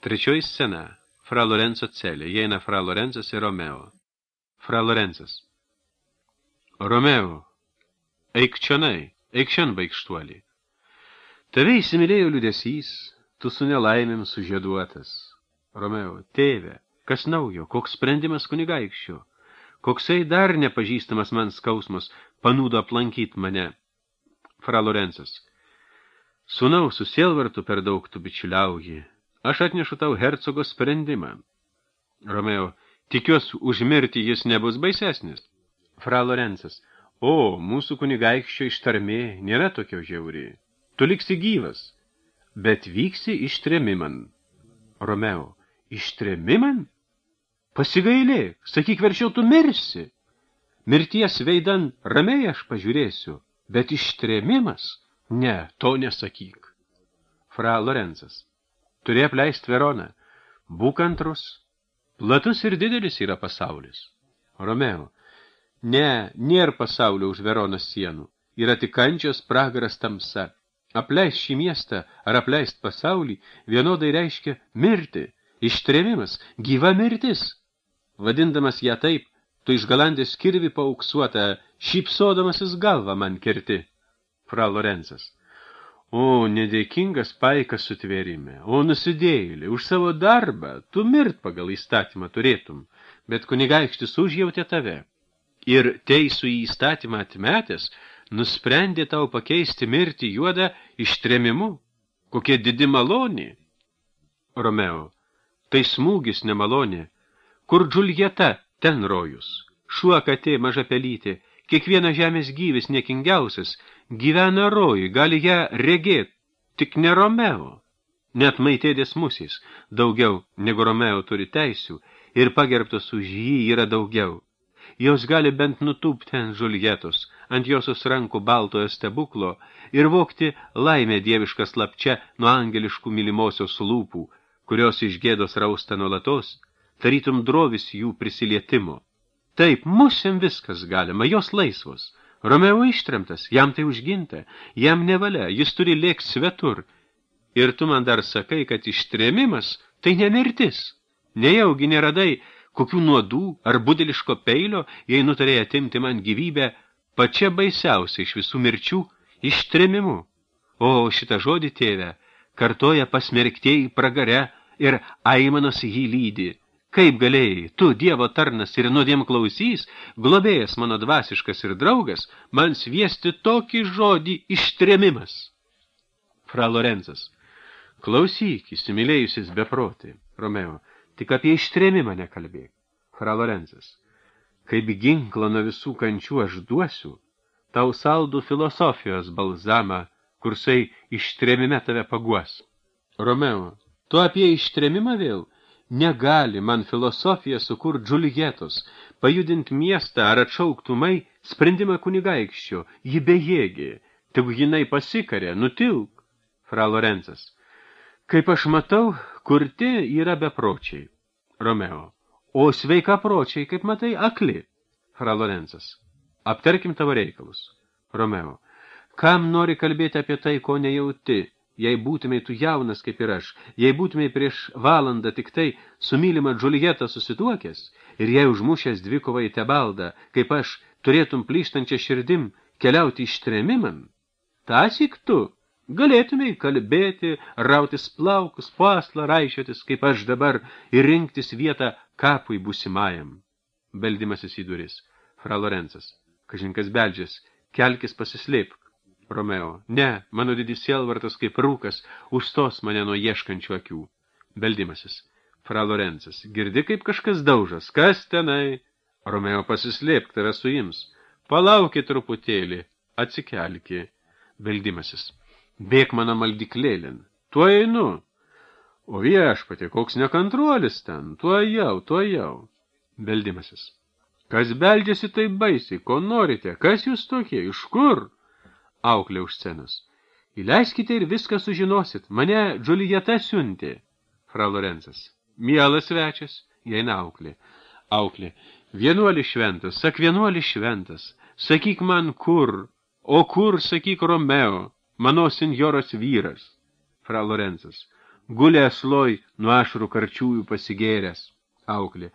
Trečioji scena. Fra Lorenzo celė. Įeina Fra Lorenzas ir Romeo. Fra Lorenzas. Romeo, eik čionai, eik šian baikštuolį. Tave įsimylėjo liūdesys, tu su nelaimėm sužieduotas. Romeo, tėve, kas naujo, koks sprendimas kunigaikščio, koksai dar nepažįstamas man skausmas panūdo aplankyt mane. Fra Lorenzas. Sūnau, su sielvartu per daug tu bičiuliauji. Aš atnešu tau hercogo sprendimą. Romeo, tikiuosi, užmirti jis nebus baisesnis. Fra Lorenzas. O, mūsų kunigaikščio ištarmė nėra tokio žiauri. Tu liksi gyvas, bet vyksi ištremiman. Romeo. Ištremiman? Pasigailėk, sakyk, verčiau tu mirsi. Mirties veidan ramiai aš pažiūrėsiu, bet ištremimas? Ne, to nesakyk. Fra Lorenzas. Turi apleist Veroną. Būk antrus. Platus ir didelis yra pasaulis. Romeo. Ne, nėra pasaulio už Veronos sienų. Yra tik kančios, pragaras, tamsa. Apleist šį miestą ar apleist pasaulį vienodai reiškia mirti. Ištremimas, gyva mirtis. Vadindamas ją taip, tu iš galandės kirvi paauksuotą, šypsodamasis galvą man kerti. Fra Lorenzas. O, nedėkingas paikas sutvėrime, o nusidėjėlė, už savo darbą, tu mirt pagal įstatymą turėtum, bet kunigaikštis užjautė tave. Ir teisų į įstatymą atmetęs, nusprendė tau pakeisti mirtį juodą ištremimu. Kokia didi malonė. Romeo. Tai smūgis nemalonė. Kur Džuljeta, ten rojus. Šuo katė maža pelytė, kiekvienas žemės gyvis niekingiausias, gyvena rojui, gali ją regėt, tik ne Romeo. Net maitėdės musės daugiau negu Romeo turi teisių ir pagerbtos už jį yra daugiau. Jos gali bent nutūpti ant Džuljetos, ant josios rankų baltojo stebuklo ir vokti laimę dievišką slapčia nuo angeliškų mylimosios lūpų, kurios iš gėdos rausta nuolatos, tarytum drovis jų prisilietimo. Taip, musėm viskas galima, jos laisvos. Romeo ištremtas, jam tai užginta, jam nevalia, jis turi lėkt svetur. Ir tu man dar sakai, kad ištremimas tai nemirtis. Nejaugi neradai kokių nuodų ar budeliško peilio, jei nutarėjai atimti man gyvybę, pačia baisiausia iš visų mirčių ištremimu. O šitą žodį, tėve, kartoja pasmerktieji pragare ir aimanos jį lydi. Kaip galėjai, tu, Dievo tarnas ir nuodėm klausys, globėjas mano dvasiškas ir draugas, man sviesti tokį žodį ištremimas. Fra Lorenzas. Klausyk, įsimylėjusis beprotį. Romeo. Tik apie ištremimą nekalbėk. Fra Lorenzas. Kaip ginklą nuo visų kančių aš duosiu, tau saldų filosofijos balzamą, kursai ištremime tave paguos. Romeo. Tu apie ištremimą vėl? Negali man filosofija sukurt Džuljetos, pajudint miestą ar atšauktumai sprendimą kunigaikščio, ji bejėgė, tegu jinai pasikarė, nutilk. Fra Lorenzas. Kaip aš matau, kurti yra bepročiai. Romeo. O sveika pročiai, kaip matai, akli. Fra Lorenzas. Aptarkim tavo reikalus. Romeo. Kam nori kalbėti apie tai, ko nejauti? Jei būtumei tu jaunas kaip ir aš, jei būtumei prieš valandą tik tai su mylima Džuljeta susituokęs ir jei užmušęs dvikovą į Tebaldą, kaip aš, turėtum plyštančią širdim keliauti ištremiman, tąsyk tu galėtumei kalbėti, rautis plaukus, paslą raišiotis, kaip aš dabar, ir rinktis vietą kapui būsimajam. Beldimasis į duris. Fra Lorenzas. Kažinkas beldžias, kelkis pasislėpk. Romeo. Ne, mano didis sielvartas kaip rūkas, užstos mane nuo ieškančių akių. Beldimasis. Fra Lorenzas. Girdi, kaip kažkas daužas. Kas tenai? Romeo, pasislėpk, tave suims. Palaukit truputėlį. Atsikelki. Beldimasis. Bėk mano maldiklėlin. Tuo einu. O viešpatie, koks nekantruolis ten. Tuo jau. Beldimasis. Kas beldžiasi taip baisiai? Ko norite? Kas jūs tokie? Iš kur? Auklė už scenos. Įleiskite ir viską sužinosit. Mane Džuljeta siuntė. Fra Lorenzas. Mielas svečias. Įeina auklė. Auklė. Vienuolis šventas. Sak vienuolis šventas. Sakyk man kur. O kur, sakyk Romeo. Mano senjoros vyras. Fra Lorenzas. gulė asloj nuo ašarų karčiųjų pasigėręs. Auklė.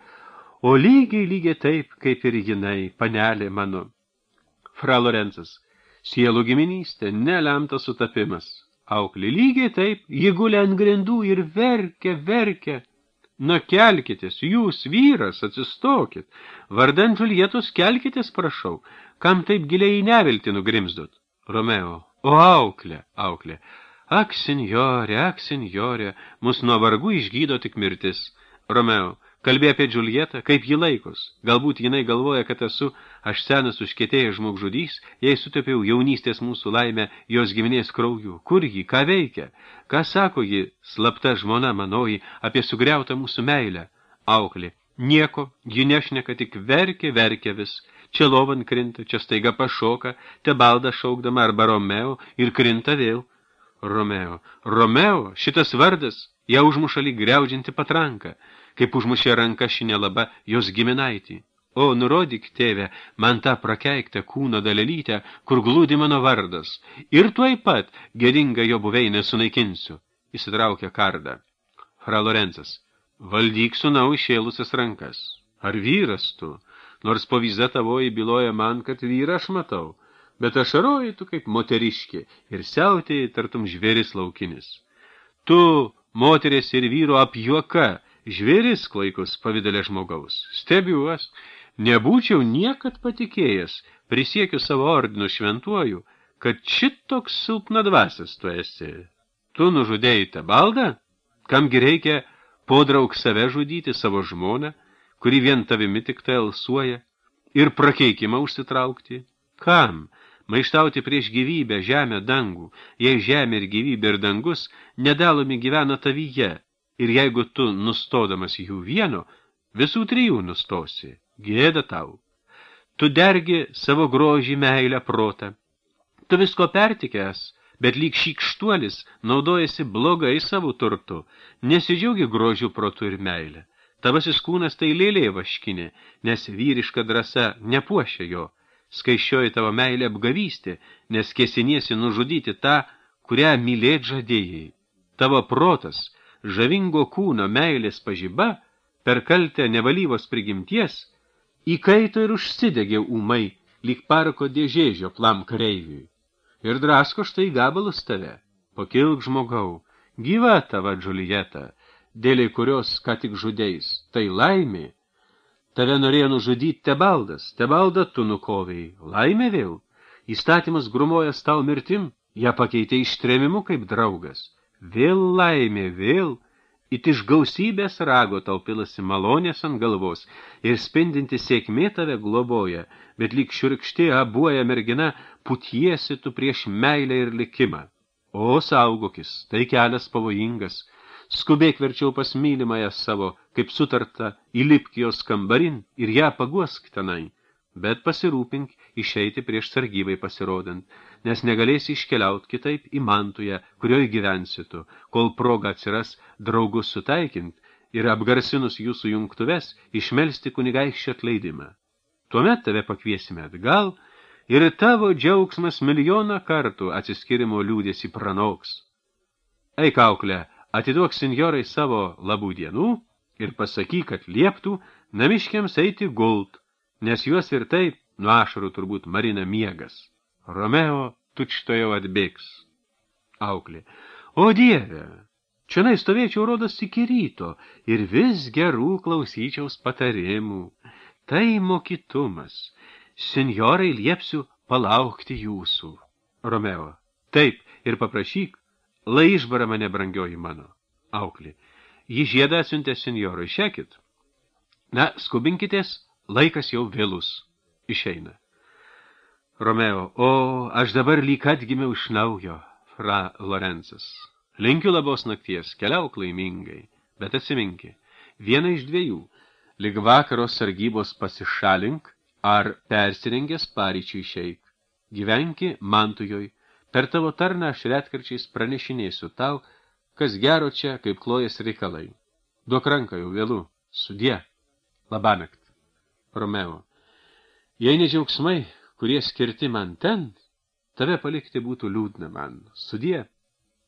O lygiai taip, kaip ir jinai, panelė mano. Fra Lorenzas. Sielų giminystė, nelemtas sutapimas. Auklė. Lygiai taip, ji gulė ant grindų ir verkia. Na, kelkitės, jūs, vyras, atsistokit. Vardan Džuljetos kelkitės, prašau. Kam taip giliai į neviltį nugrimzdot? Romeo. O auklė. Ak, senjorė, mus nuo vargų išgydo tik mirtis. Romeo. Kalbė apie Džuljetą, kaip ji laikos. Galbūt jinai galvoja, kad esu aš senas užkietėjęs žmogžudys, jei sutepiau jaunystės mūsų laimę jos giminės krauju. Kur ji, ką veikia? Ką sako ji, slapta žmona manoji, apie sugriautą mūsų meilę? Auklė. Nieko, ji nešneka, tik verkia vis. Čia lovan krinta, čia staiga pašoka, te balda šaukdama arba Romeo ir krinta vėl. Romeo, šitas vardas, ją užmuša lyg griaudžianti patranka, kaip užmušė ranka šinelaba jos giminaitį. O, nurodyk, tėve, man tą prakeiktą kūno dalelytę, kur glūdi mano vardas, ir tuoj pat gėdingą jo buveinę sunaikinsiu. Įsitraukė kardą. Fra Lorenzas. Valdyk sūnau išėlusias rankas. Ar vyras tu? Nors po viza tavoji byloja man, kad vyrą aš matau, bet ašaroji tu kaip moteriškė ir siautėjai tartum žvėris laukinis. Tu, moteris ir vyro apjuoka, žvėris klaikus pavidalė žmogaus. Stebiuos, nebūčiau niekad patikėjęs, prisiekiu savo ordinu šventuoju, kad šitoks silpnadvasis tu esi. Tu nužudėjai Tebaldą? Kamgi reikia podraug save žudyti savo žmoną, kuri vien tavimi tik tai alsuoja, ir prakeikimą užsitraukti? Kam? Maištauti prieš gyvybę, žemę, dangų, jei žemė ir gyvybė ir dangus nedalomi gyvena tavyje, ir jeigu tu, nustodamas jų vieno, visų trijų nustosi, gėda tau. Tu dergi savo grožį, meilę, protą. Tu visko pertikęs, bet lyg šykštuolis naudojasi blogai savo turtu, nesidžiaugi grožių, protu ir meilę. Tavasis kūnas tai lėlė vaškinė, nes vyriška drąsa nepuošia jo. Skaiščioji tavo meilė apgavystė, nes kesiniesi nužudyti tą, kurią mylėt žadėjai. Tavo protas, žavingo kūno meilės pažiba, per kaltę nevalyvos prigimties, įkaito ir užsidegė ūmai, lyg parko dėžėžio plam kareiviui. Ir drasko štai gabalus tave. Pakilk, žmogau, gyva tava Džuljeta, dėliai kurios ką tik žudeis, tai laimė. Tave norėjo nužudyti Tebaldas, Tebaldą tu nukovėjai, laimė vėl. Įstatymas grumojęs tau mirtim, ją pakeitė ištrėmimu kaip draugas. Vėl laimė, vėl. It iš gausybės rago tau pilasi malonės ant galvos ir spindinti sėkmė tave globoja, bet lyg šiurkštė abuoja mergina, putiesi tu prieš meilę ir likimą. O, saugokis, tai kelias pavojingas. Skubėk verčiau pas mylimąją savo, kaip sutarta, įlipk jos kambarin ir ją paguosk tenai, bet pasirūpink išeiti prieš sargybai pasirodant, nes negalėsi iškeliaut kitaip į Mantują, kurioje gyvensitu, kol proga atsiras draugus sutaikint ir apgarsinus jūsų jungtuves išmelsti kunigaikščio atleidimą. Tuomet tave pakviesime atgal ir tavo džiaugsmas milijoną kartų atsiskirimo liūdėsi pranoks. Eik, auklė, atiduok senjorai savo labų dienų ir pasakyk, kad lieptų namiškiams eiti gult, nes juos ir taip nuo ašarų turbūt marina miegas. Romeo tučtojau atbėgs. Auklė. O Dieve, čionai stovėčiau rodos iki ryto ir vis gerų klausyčiaus patarimų. Tai mokytumas. Senjorai liepsiu palaukti jūsų. Romeo. Taip, ir paprašyk, lai išbara mane, brangioji mano. Auklė. Ji žiedą atsiuntė senjorui, šekit. Na, skubinkitės, laikas jau vėlus. Išeina. Romeo. O, aš dabar lyg atgimiau iš naujo, Fra Lorenzas. Linkiu labos nakties, keliauk laimingai, bet atsiminki, viena iš dviejų, lyg vakaro sargybos pasišalink, ar persirengęs paryčių išeik. Gyvenki Mantujoj. Per tavo tarną aš retkarčiais pranešinėsiu tau, kas gero čia, kaip klojas reikalai. Duok ranką jau vėlu. Sudie. Labanakt. Romeo. Jei ne džiaugsmai, kurie skirti man ten, tave palikti būtų liūdna man. Sudie.